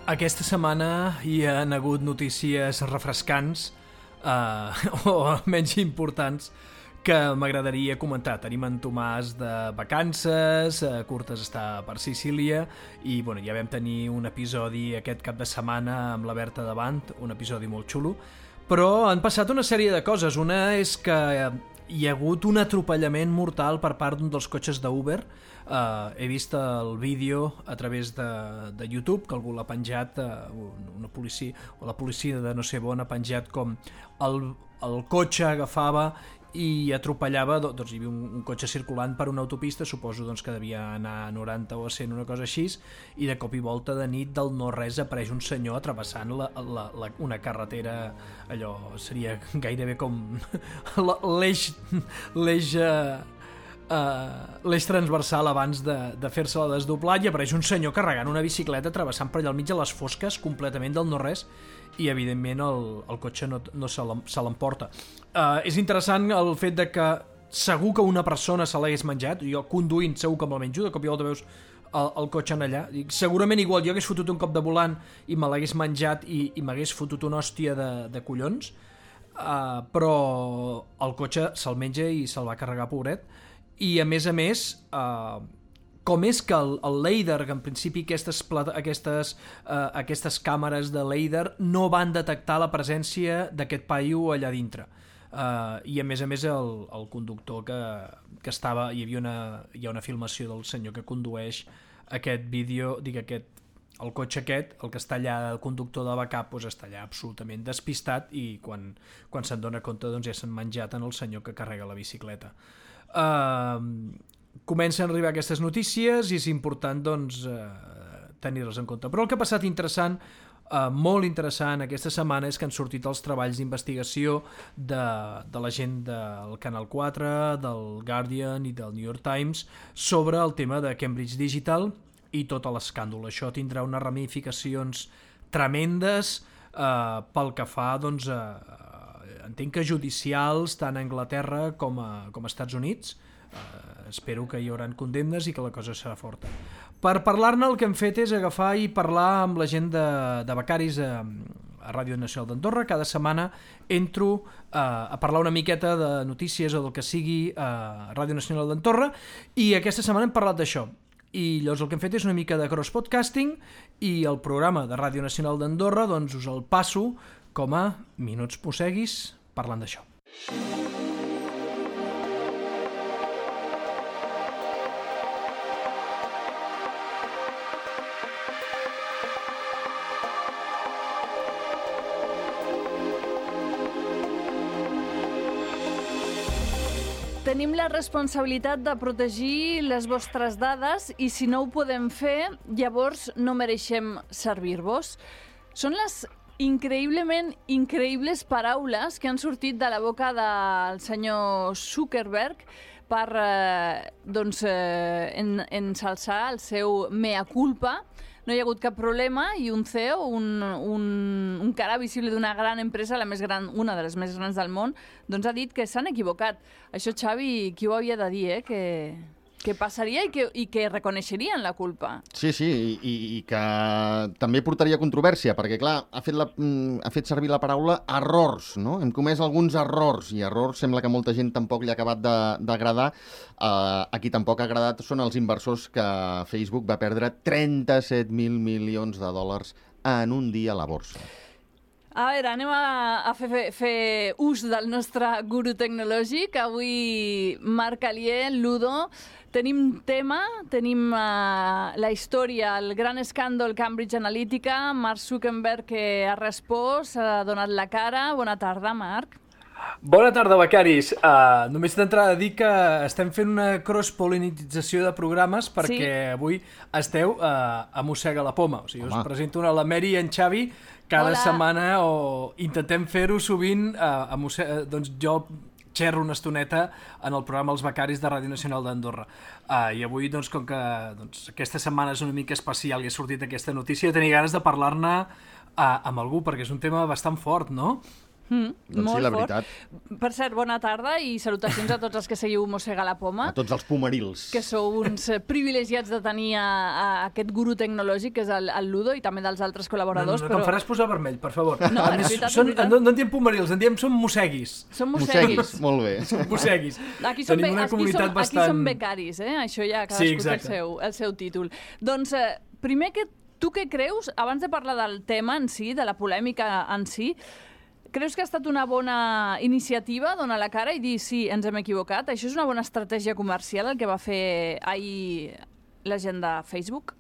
Aquesta setmana hi ha hagut notícies refrescants o menys importants que m'agradaria comentar. Tenim en Tomàs de vacances, Curtes està per Sicília i bueno, ja vam tenir un episodi aquest cap de setmana amb la Berta davant, un episodi molt xulo, però han passat una sèrie de coses. Una és que hi ha hagut un atropellament mortal per part d'un dels cotxes d'Uber. He vist el vídeo a través de YouTube, que algú l'ha penjat, una policia, o la policia de no sé on ha penjat com el cotxe agafava i atropellava, doncs hi havia un cotxe circulant per una autopista, suposo doncs, que devia anar a 90 o a 100, una cosa així, i de cop i volta de nit del no-res apareix un senyor travessant una carretera, allò seria gairebé com l'eix transversal abans de fer-se la desdoblat, i apareix un senyor carregant una bicicleta travessant per allà al mig a les fosques completament del no-res, i evidentment el cotxe no se l'emporta. És interessant el fet de que segur que una persona se l'hagués menjat. Jo conduint segur que me'l menjo, de cop i volta veus el cotxe en allà, segurament igual jo hagués fotut un cop de volant i me l'hagués menjat i m'hagués fotut una hòstia de collons, però el cotxe se'l menja i se'l va carregar, pobret. I a més, com és que el LiDAR, que en principi aquestes càmeres de LiDAR no van detectar la presència d'aquest paio allà dintre, i a més el conductor que estava, hi ha una filmació del senyor que condueix aquest vídeo, el cotxe aquest, el que està allà, el conductor de backup, doncs està allà absolutament despistat, i quan se'n dona compte doncs ja s'han menjat en el senyor que carrega la bicicleta. Comencen a arribar aquestes notícies i és important doncs tenir-les en compte. Però el que ha passat interessant, molt interessant aquesta setmana, és que han sortit els treballs d'investigació de la gent del Canal 4, del Guardian i del New York Times sobre el tema de Cambridge Digital i tot l'escàndol. Això tindrà unes ramificacions tremendes pel que fa, doncs, entenc que judicials tant a Anglaterra com a Estats Units. Espero que hi haurà condemnes i que la cosa serà forta. Per parlar-ne, el que hem fet és agafar i parlar amb la gent de becaris a Ràdio Nacional d'Andorra. Cada setmana entro a parlar una miqueta de notícies o del que sigui a Ràdio Nacional d'Andorra, i aquesta setmana hem parlat d'això. I llavors el que hem fet és una mica de cross-podcasting, i el programa de Ràdio Nacional d'Andorra doncs us el passo com a Minuts Posseguis parlant d'això. Tenim la responsabilitat de protegir les vostres dades i si no ho podem fer, llavors no mereixem servir-vos. Són les increïblement increïbles paraules que han sortit de la boca del senyor Zuckerberg per ensalçar el seu mea culpa. No hi ha hagut cap problema i un CEO, un cara visible d'una gran empresa, la més gran, una de les més grans del món, doncs ha dit que s'han equivocat. Això, Xavi, qui ho havia de dir, que passaria i que reconeixerien la culpa. Sí, i que també portaria controvèrsia, perquè, clar, ha fet servir la paraula errors, no? Hem comès alguns errors, i errors sembla que molta gent tampoc li ha acabat d'agradar. A qui tampoc ha agradat són els inversors que Facebook va perdre 37.000 milions de dòlars en un dia a la borsa. A veure, anem a fer ús del nostre guru tecnològic. Avui, Marc Alier, Ludo, tenim tema, tenim la història, el gran escàndol Cambridge Analytica, Mark Zuckerberg que ha respost, ha donat la cara. Bona tarda, Marc. Bona tarda, becaris. Només d'entrada dir que estem fent una cross-polinització de programes perquè avui esteu a Mossega la Poma. O sigui, us presento la Mary i en Xavi cada setmana, o intentem fer-ho sovint. Doncs jo xerro una estoneta en el programa Els Becaris de Ràdio Nacional d'Andorra. I avui, doncs, com que aquesta setmana és una mica especial i ha sortit aquesta notícia, tenia ganes de parlar-ne amb algú, perquè és un tema bastant fort, no? Doncs sí, la veritat. Per cert, bona tarda i salutacions a tots els que seguiu Mossega la Poma. A tots els pomerils. Que sou uns privilegiats de tenir a aquest guru tecnològic, que és el Ludo, i també dels altres col·laboradors. No, em faràs posar vermell, per favor. No, és veritat. No en diem pomerils, en diem som mosseguis. Som mosseguis. Molt bé. Som mosseguis. Aquí som becaris, això ja cadascú el seu títol. Doncs, primer, tu què creus, abans de parlar del tema en si, de la polèmica en si, creus que ha estat una bona iniciativa donar la cara i dir sí, ens hem equivocat? Això és una bona estratègia comercial el que va fer ahir la gent de Facebook?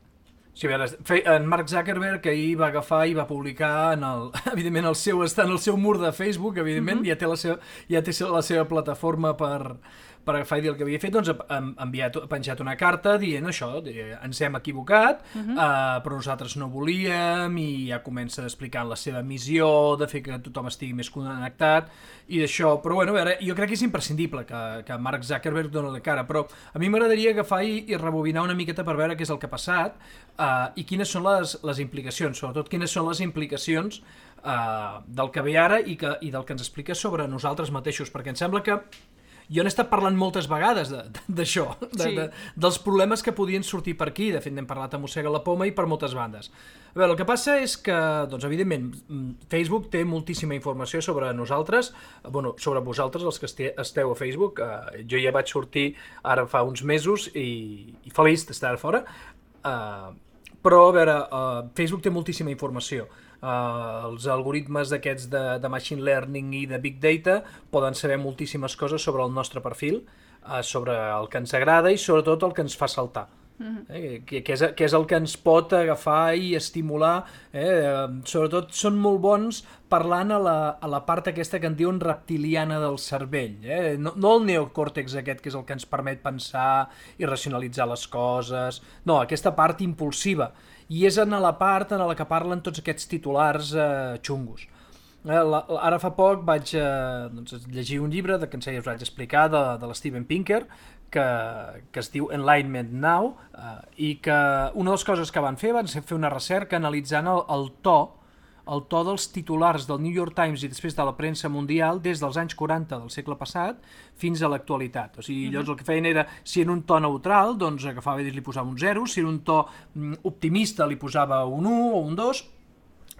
Sí, a veure, en Mark Zuckerberg ahir va agafar i va publicar evidentment està en el seu mur de Facebook, evidentment, ja té la seva plataforma per agafar i dir el que havia fet, doncs ha penjat una carta dient això, ens hem equivocat, però nosaltres no volíem, i ja comença explicant la seva missió de fer que tothom estigui més connectat i d'això, però bueno, a veure, jo crec que és imprescindible que Mark Zuckerberg doni la cara, però a mi m'agradaria agafar i rebobinar una miqueta per veure què és el que ha passat i quines són les implicacions, sobretot quines són les implicacions del que ve ara i del que ens explica sobre nosaltres mateixos, perquè em sembla que jo n'he estat parlant moltes vegades d'això, dels problemes que podien sortir per aquí. De fet, n'hem parlat a Mossega la Poma i per moltes bandes. A veure, el que passa és que, doncs, evidentment, Facebook té moltíssima informació sobre nosaltres, sobre vosaltres, els que esteu a Facebook. Jo ja vaig sortir ara fa uns mesos i feliç d'estar fora. Però, a veure, Facebook té moltíssima informació. Els algoritmes d'aquests de machine learning i de big data poden saber moltíssimes coses sobre el nostre perfil, sobre el que ens agrada i sobretot el que ens fa saltar. Que és el que ens pot agafar i estimular. Sobretot són molt bons parlant a la part aquesta que en diuen reptiliana del cervell. No el neocòrtex aquest, que és el que ens permet pensar i racionalitzar les coses. No, aquesta part impulsiva. I és en la part en la que parlen tots aquests titulars xungos. Ara fa poc vaig llegir un llibre que us vaig explicar de l'Steven Pinker, que es diu Enlightenment Now, i que una de les coses que van fer una recerca analitzant el to dels titulars del New York Times i després de la premsa mundial des dels anys 40 del segle passat fins a l'actualitat. O sigui, llavors el que feien era, si en un to neutral, doncs agafava i li posava un 0, si en un to optimista li posava un 1 o un 2,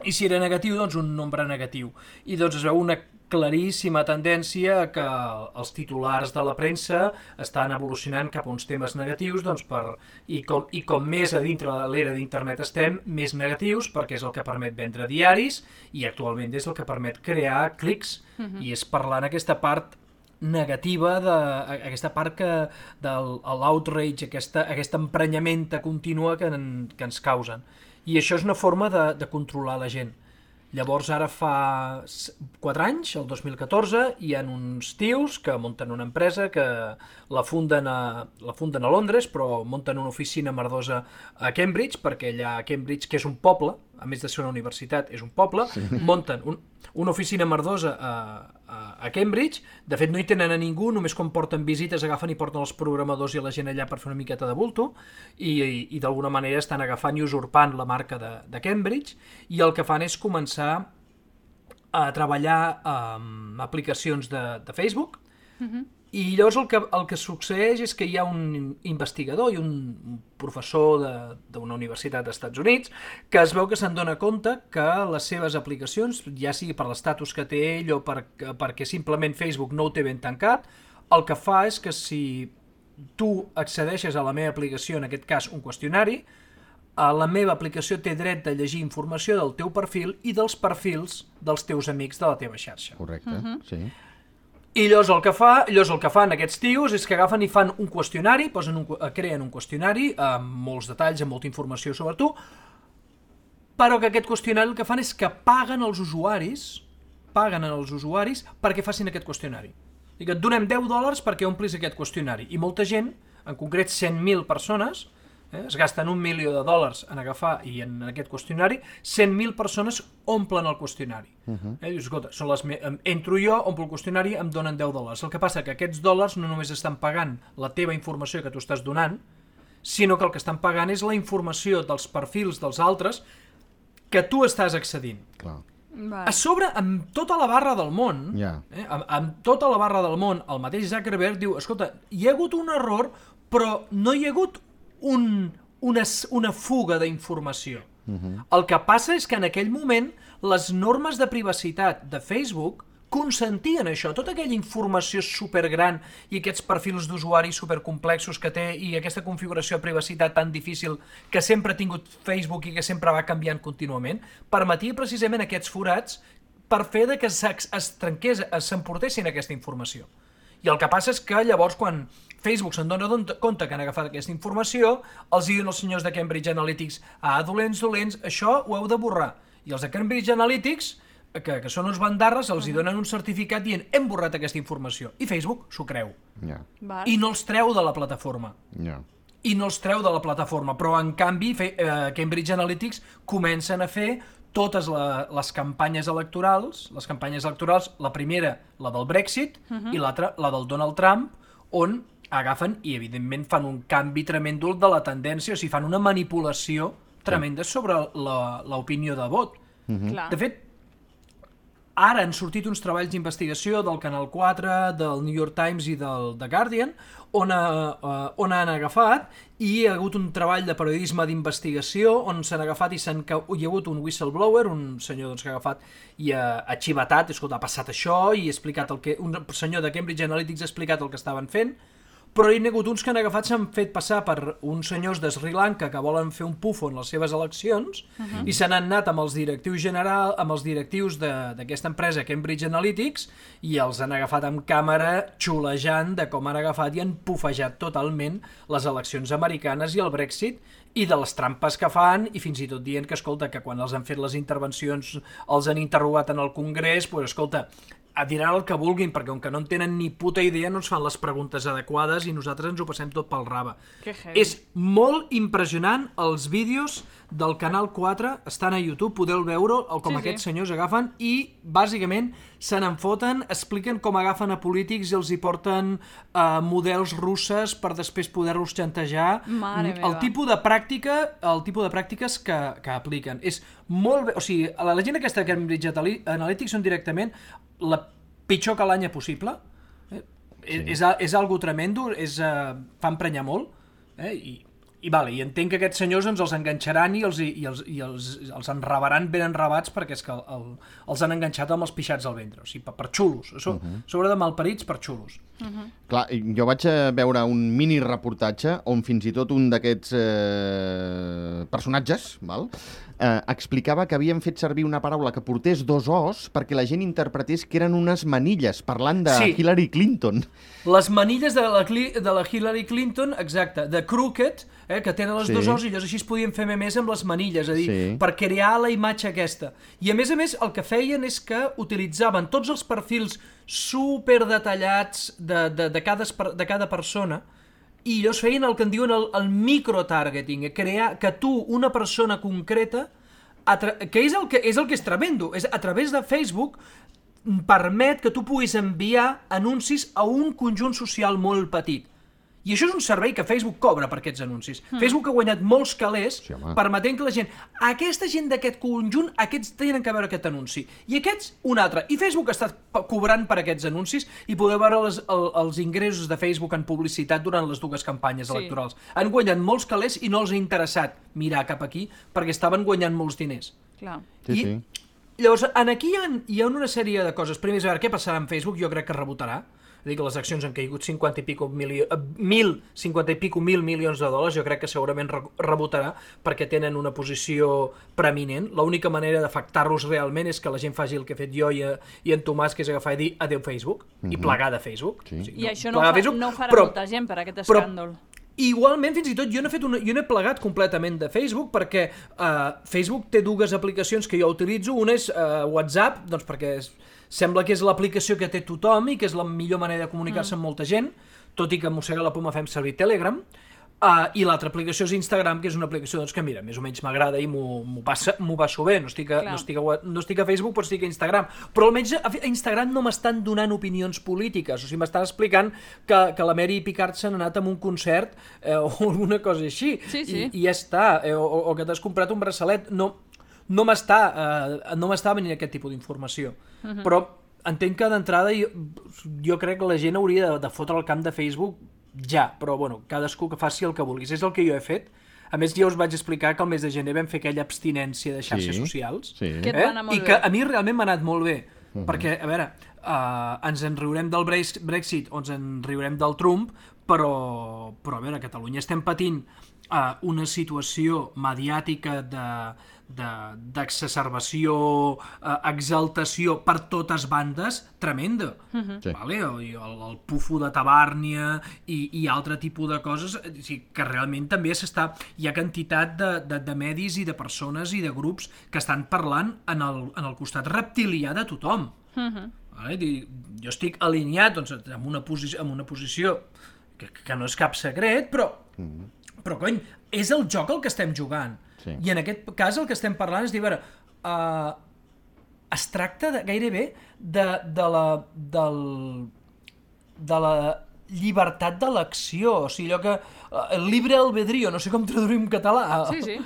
i si era negatiu, doncs un nombre negatiu. I doncs es veu una claríssima tendència que els titulars de la premsa estan evolucionant cap a uns temes negatius, doncs i com més a dintre de l'era d'internet estem, més negatius, perquè és el que permet vendre diaris i actualment és el que permet crear clics, i és parlant aquesta part negativa, aquesta part de l'outrage, aquesta emprenyamenta contínua que ens causen. I això és una forma de controlar la gent. Llavors ara fa 4 anys, el 2014, hi ha uns tios que munten una empresa que la funden a Londres, però munten una oficina merdosa a Cambridge, perquè allà a Cambridge, que és un poble, a més de ser una universitat, és un poble, munten una oficina merdosa a Cambridge. De fet, no hi tenen a ningú, només quan porten visites agafen i porten els programadors i la gent allà per fer una miqueta de bulto, i d'alguna manera estan agafant i usurpant la marca de Cambridge, i el que fan és començar a treballar amb aplicacions de Facebook, i llavors el que succeeix és que hi ha un investigador i un professor d'una universitat dels Estats Units que es veu que se'n dona compte que les seves aplicacions, ja sigui per l'estatus que té ell o perquè simplement Facebook no ho té ben tancat, el que fa és que si tu accedeixes a la meva aplicació, en aquest cas un qüestionari, la meva aplicació té dret de llegir informació del teu perfil i dels perfils dels teus amics de la teva xarxa. Correcte, sí. I llavors el que fan aquests tios és que agafen i fan un qüestionari, creen un qüestionari amb molts detalls, amb molta informació sobre tu, però que aquest qüestionari el que fan és que paguen als usuaris perquè facin aquest qüestionari. I que et donem $10 perquè omplis aquest qüestionari. I molta gent, en concret 100.000 persones, es gasten $1 milió en agafar i en aquest qüestionari, 100.000 persones omplen el qüestionari. Dius, escolta, entro jo, omplo el qüestionari, em donen $10. El que passa que aquests dòlars no només estan pagant la teva informació que tu estàs donant, sinó que el que estan pagant és la informació dels perfils dels altres que tu estàs accedint. Clar. A sobre, amb tota la barra del món, amb tota la barra del món, el mateix Zuckerberg diu, escolta, hi ha hagut un error, però no hi ha hagut una fuga d'informació. El que passa és que en aquell moment les normes de privacitat de Facebook consentien això, tota aquella informació supergran i aquests perfils d'usuari supercomplexos que té i aquesta configuració de privacitat tan difícil que sempre ha tingut Facebook i que sempre va canviant contínuament, permetia precisament aquests forats per fer que es trenqués, s'emportessin aquesta informació. I el que passa és que llavors quan Facebook se'n dona compte que han agafat aquesta informació, els diuen els senyors de Cambridge Analytics, dolents, això ho heu de borrar. I els de Cambridge Analytics, que són uns bandarres, els hi donen un certificat dient hem borrat aquesta informació. I Facebook s'ho creu. I no els treu de la plataforma. Però en canvi Cambridge Analytics comencen a fer totes les campanyes electorals, la primera, la del Brexit, i l'altra, la del Donald Trump, on agafen i evidentment fan un canvi tremendo de la tendència, o sigui, fan una manipulació tremenda sobre l'opinió de vot. De fet, ara han sortit uns treballs d'investigació del Canal 4, del New York Times i del The Guardian, on han agafat, i hi ha hagut un treball de periodisme d'investigació on s'han agafat i hi ha hagut un whistleblower, un senyor que ha agafat i ha xivatat, escolta, ha passat això, i ha explicat un senyor de Cambridge Analytics ha explicat el que estaven fent, però hi ha hagut uns que han agafat, s'han fet passar per uns senyors de Sri Lanka que volen fer un pufo en les seves eleccions i se n'han anat amb els directius d'aquesta empresa Cambridge Analytics i els han agafat amb càmera xulejant de com han agafat i han pufejat totalment les eleccions americanes i el Brexit i de les trampes que fan i fins i tot dient que, escolta, que quan els han fet les intervencions els han interrogat en el Congrés, doncs, escolta, diran el que vulguin, perquè com que no en tenen ni puta idea no ens fan les preguntes adequades i nosaltres ens ho passem tot pel rave. És molt impressionant els vídeos del Canal 4, estan a YouTube, podeu veure com aquests senyors agafen i bàsicament se n'enfoten, expliquen com agafen a polítics i els hi porten models russes per després poder-los xantejar. El tipus de pràctiques que apliquen. És molt bé, o sigui, la gent aquesta de Cambridge Analytics són directament la pitjor calanya possible, és algo tremendo, fa emprenyar molt, i entenc que aquests senyors els enganxaran i els enrabaran ben enrabats perquè és que els han enganxat amb els pixats al ventre, o sigui, per xulos, sobre de malparits per xulos. Clar, jo vaig veure un mini reportatge on fins i tot un d'aquests personatges, explicava que havien fet servir una paraula que portés dos os perquè la gent interpretés que eren unes manilles, parlant de Hillary Clinton. Les manilles de la Hillary Clinton, exacte, de Crooked, que tenen els dos os i llavors així es podien fer memes amb les manilles, és a dir, per crear la imatge aquesta. I a més el que feien és que utilitzaven tots els perfils superdetallats de cada persona i llavors feien el que en diuen el microtargeting, crear que tu, una persona concreta, que és el que és tremendo, és a través de Facebook permet que tu puguis enviar anuncis a un conjunt social molt petit. I això és un servei que Facebook cobra per aquests anuncis. Facebook ha guanyat molts calés permetent que la gent, aquesta gent d'aquest conjunt, aquests tenen que veure aquest anunci. I aquests, un altre. I Facebook està cobrant per aquests anuncis i podeu veure els ingressos de Facebook en publicitat durant les dues campanyes electorals. Han guanyat molts calés i no els ha interessat mirar cap aquí perquè estaven guanyant molts diners. Clar. Llavors, aquí hi ha una sèrie de coses. Primer, a veure, què passarà amb Facebook? Jo crec que rebotarà. És a dir, que les accions han caigut 50 i pico mil milions de dòlars, jo crec que segurament rebotarà perquè tenen una posició preeminent. L'única manera d'afectar-los realment és que la gent faci el que he fet jo i en Tomàs, que és agafar i dir adeu Facebook, i plegar de Facebook. I això no ho farà molta gent per aquest escàndol. Igualment, fins i tot, jo n'he plegat completament de Facebook perquè Facebook té dues aplicacions que jo utilitzo. Una és WhatsApp, doncs perquè sembla que és l'aplicació que té tothom i que és la millor manera de comunicar-se amb molta gent, tot i que mossega la poma fem servir Telegram. I l'altra aplicació és Instagram, que és una aplicació que, mira, més o menys m'agrada i m'ho passo bé. No estic a Facebook, però estic a Instagram. Però almenys a Instagram no m'estan donant opinions polítiques. O sigui, m'estan explicant que la Mary Picard s'ha anat a un concert o alguna cosa així. I ja està. O que t'has comprat un braçalet. no m'està venint aquest tipus d'informació. Però entenc que d'entrada jo crec que la gent hauria de fotre el camp de Facebook ja, però bueno, cadascú que faci el que vulguis. És el que jo he fet. A més, ja us vaig explicar que el mes de gener vam fer aquella abstinència de xarxes socials. Que et va anar molt I que a mi realment m'ha anat molt bé. Perquè, a veure, ens en riurem del Brexit o ens en riurem del Trump, però a veure, a Catalunya estem patint una situació mediàtica d'exacerbació, exaltació per totes bandes tremenda. Vale? El pufo de Tabàrnia i altre tipus de coses que realment també hi ha quantitat de medis i de persones i de grups que estan parlant en el costat reptilià de tothom. Vale? Jo estic alineat doncs, amb una posició que no és cap secret, però cony, és el joc el que estem jugant. I en aquest cas el que estem parlant és dir, a veure, es tracta gairebé de la llibertat d'elecció, o sigui, allò que el libre albedrío, no sé com traduir en català. Sí.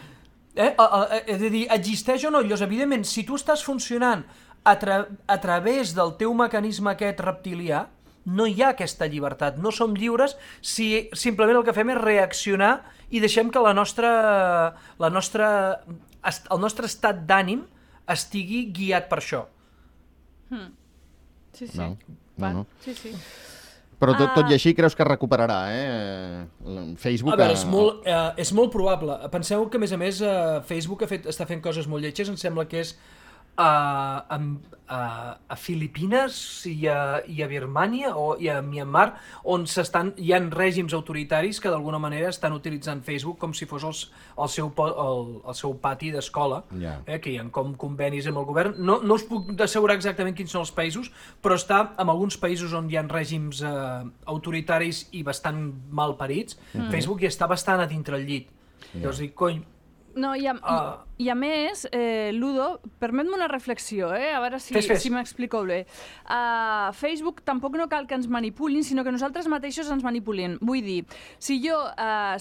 És a dir, existeix o no? Llavors, evidentment, si tu estàs funcionant a través del teu mecanisme aquest reptilià, no hi ha aquesta llibertat, no som lliures si simplement el que fem és reaccionar i deixem que el nostre estat d'ànim estigui guiat per això. Sí. No. Sí. Però tot i així creus que recuperarà, Facebook? A veure, és molt probable. Penseu que, a més, Facebook està fent coses molt lletges, em sembla que és a Filipines i a Birmània i a Myanmar, on hi ha règims autoritaris que d'alguna manera estan utilitzant Facebook com si fos el seu pati d'escola, que hi ha com convenis amb el govern. No us puc assegurar exactament quins són els països, però està en alguns països on hi ha règims autoritaris i bastant mal parits. Facebook ja està bastant a dintre el llit. Llavors dic, cony, no, i a més, Ludo, permet-me una reflexió, a veure si m'explico bé. Facebook tampoc no cal que ens manipulin, sinó que nosaltres mateixos ens manipulem. Vull dir, si jo,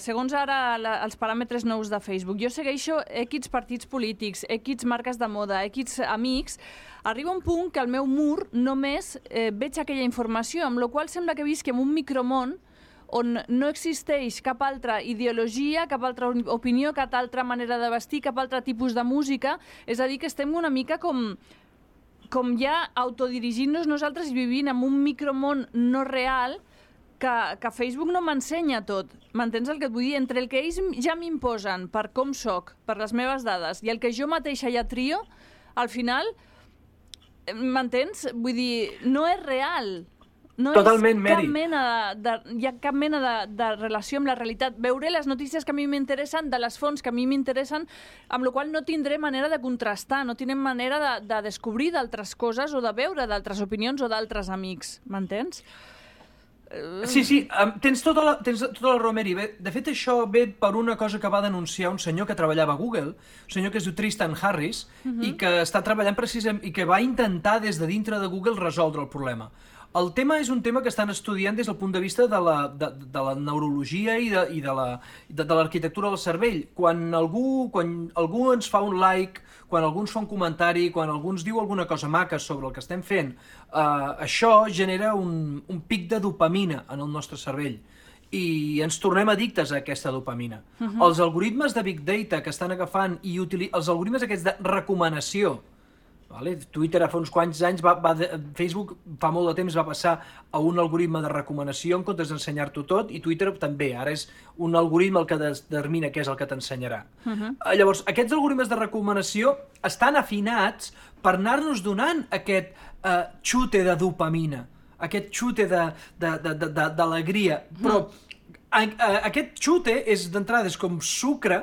segons ara els paràmetres nous de Facebook, jo segueixo X partits polítics, X marques de moda, X amics, arriba un punt que al meu mur només veig aquella informació, amb la qual sembla que visqui en un micromón on no existeix cap altra ideologia, cap altra opinió, cap altra manera de vestir, cap altre tipus de música. És a dir, que estem una mica com ja autodirigint-nos nosaltres i vivint en un micromón no real que Facebook no m'ensenya tot. M'entens el que et vull dir? Entre el que ells ja m'imposen per com soc, per les meves dades, i el que jo mateixa ja trio, al final, m'entens? Vull dir, no és real. No totalment, hi ha cap mena de relació amb la realitat. Veuré les notícies que a mi m'interessen de les fonts que a mi m'interessen, amb la qual no tindré manera de contrastar, no tindré manera de descobrir d'altres coses o de veure d'altres opinions o d'altres amics. M'entens? Sí, tens tota la raó, Mary. De fet, això ve per una cosa que va denunciar un senyor que treballava a Google, un senyor que es diu Tristan Harris, i que està treballant precisament i que va intentar des de dintre de Google resoldre el problema. El tema és un tema que estan estudiant des del punt de vista de la neurologia i de l'arquitectura del cervell. Quan algú ens fa un like, quan algú ens fa un comentari, quan algú ens diu alguna cosa maca sobre el que estem fent, això genera un pic de dopamina en el nostre cervell i ens tornem addictes a aquesta dopamina. Els algoritmes de Big Data que estan agafant i els algoritmes aquests de recomanació, Twitter fa uns quants anys, Facebook fa molt de temps va passar a un algoritme de recomanació en comptes d'ensenyar-t'ho tot, i Twitter també, ara és un algoritme el que determina què és el que t'ensenyarà. Llavors, aquests algoritmes de recomanació estan afinats per anar-nos donant aquest xute de dopamina, aquest xute d'alegria, però aquest xute d'entrada és com sucre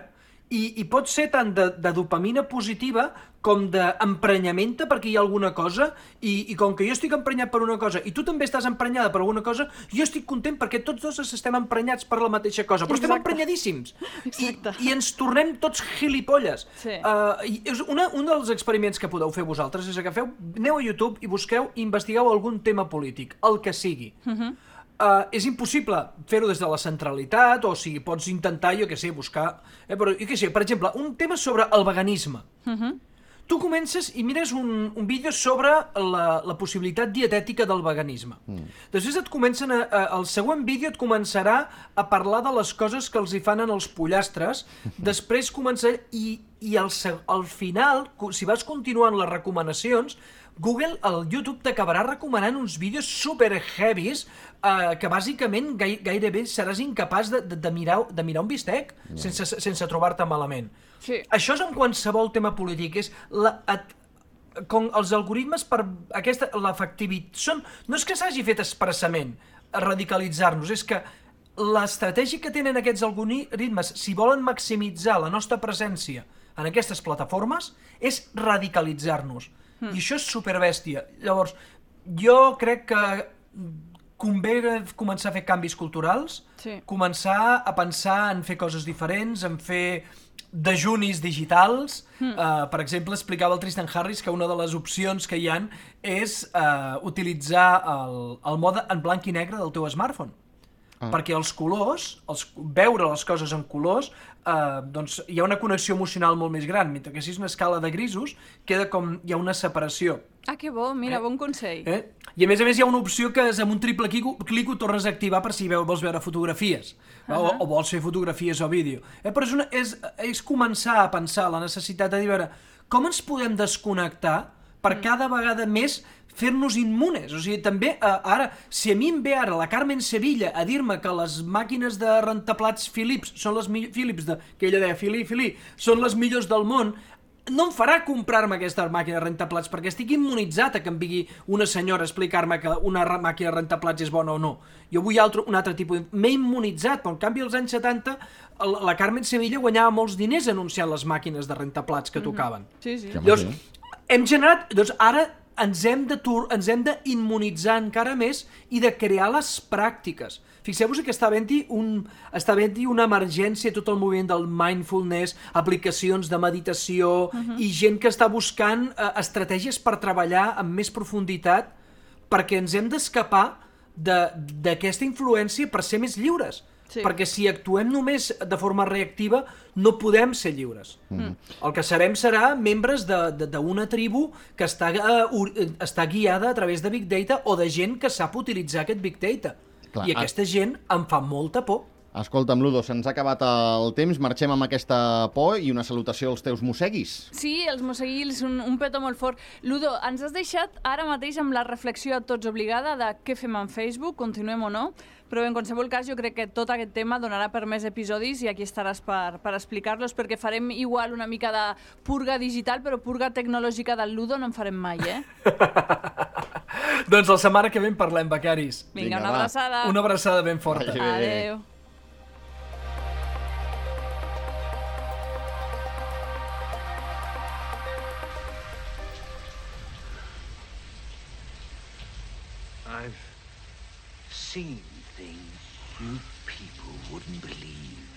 i pot ser tant de dopamina positiva com d'emprenyamenta perquè hi ha alguna cosa, i com que jo estic emprenyat per una cosa i tu també estàs emprenyada per alguna cosa, jo estic content perquè tots dos estem emprenyats per la mateixa cosa, però estem emprenyadíssims i ens tornem tots gilipolles. Un dels experiments que podeu fer vosaltres és que aneu a YouTube i investigueu algun tema polític, el que sigui. És impossible fer-ho des de la centralitat, o sigui, pots intentar, buscar... Però, per exemple, un tema sobre el veganisme. tu comences i mires un vídeo sobre la possibilitat dietètica del veganisme. Després el següent vídeo et començarà a parlar de les coses que els hi fan en els pollastres, després començarà... I al final, si vas continuant les recomanacions, Google, el YouTube, t'acabarà recomanant uns vídeos super heavies que bàsicament gairebé seràs incapaç de mirar un bistec sense trobar-te malament. Sí. Això és en qualsevol tema polític, és com els algoritmes per l'efectivitat... No és que s'hagi fet expressament a radicalitzar-nos, és que l'estratègia que tenen aquests algoritmes, si volen maximitzar la nostra presència en aquestes plataformes, és radicalitzar-nos. I això és superbèstia. Llavors, jo crec que convé començar a fer canvis culturals, començar a pensar en fer coses diferents, en fer dejunis digitals. Per exemple, explicava el Tristan Harris que una de les opcions que hi ha és utilitzar el mode en blanc i negre del teu smartphone. Perquè els colors, veure les coses en colors, doncs hi ha una connexió emocional molt més gran, mentre que si és una escala de grisos, queda com hi ha una separació. Ah, que bo, mira, bon consell. I a més hi ha una opció que és amb un triple clic ho tornes a activar per si vols veure fotografies, o vols fer fotografies o vídeo. Però és començar a pensar la necessitat de dir, veure, com ens podem desconnectar per cada vegada més fer-nos immunes. O sigui, també, ara, si a mi em ve ara la Carmen Sevilla a dir-me que les màquines de rentaplats Philips són les Philips, que ella deia Philí, són les millors del món, no em farà comprar-me aquesta màquina de rentaplats perquè estic immunitzat a que em vingui una senyora a explicar-me que una màquina de rentaplats és bona o no. Jo vull un altre tipus... M'he immunitzat, però en canvi als anys 70 la Carmen Sevilla guanyava molts diners anunciant les màquines de rentaplats que tocaven. Sí. Llavors, hem generat... Doncs ara ens hem d'immunitzar encara més i de crear les pràctiques. Fixeu-vos que està havent-hi una emergència, tot el moviment del mindfulness, aplicacions de meditació i gent que està buscant estratègies per treballar amb més profunditat perquè ens hem d'escapar d'aquesta influència per ser més lliures. Perquè si actuem només de forma reactiva no podem ser lliures. El que serem serà membres d'una tribu que està guiada a través de Big Data o de gent que sap utilitzar aquest Big Data. I aquesta gent em fa molta por. Escolta'm, Ludo, se'ns ha acabat el temps, marxem amb aquesta por i una salutació als teus mosseguis. Sí, els mosseguils, un petó molt fort. Ludo, ens has deixat ara mateix amb la reflexió a tots obligada de què fem en Facebook, continuem o no, però en qualsevol cas jo crec que tot aquest tema donarà per més episodis i aquí estaràs per explicar-los, perquè farem igual una mica de purga digital, però purga tecnològica del Ludo no en farem mai, Doncs la setmana que ve en parlem, becaris. Vinga, una abraçada. Una abraçada ben forta. Adéu. I've seen things you people wouldn't believe.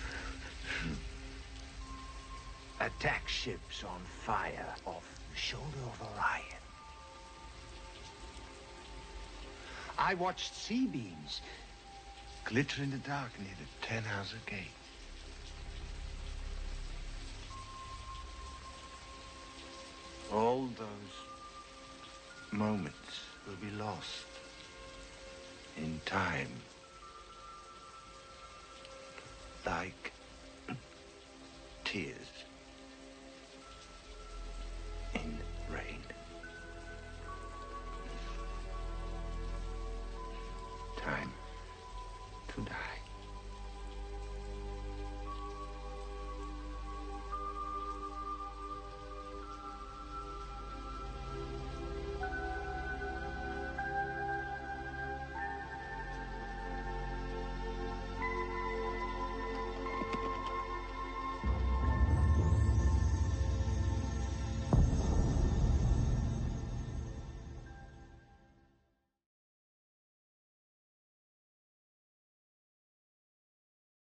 Attack ships on fire off the shoulder of Orion. I watched sea beams glitter in the dark near the Tannhauser Gate. All those moments will be lost in time, like tears in rain. Time.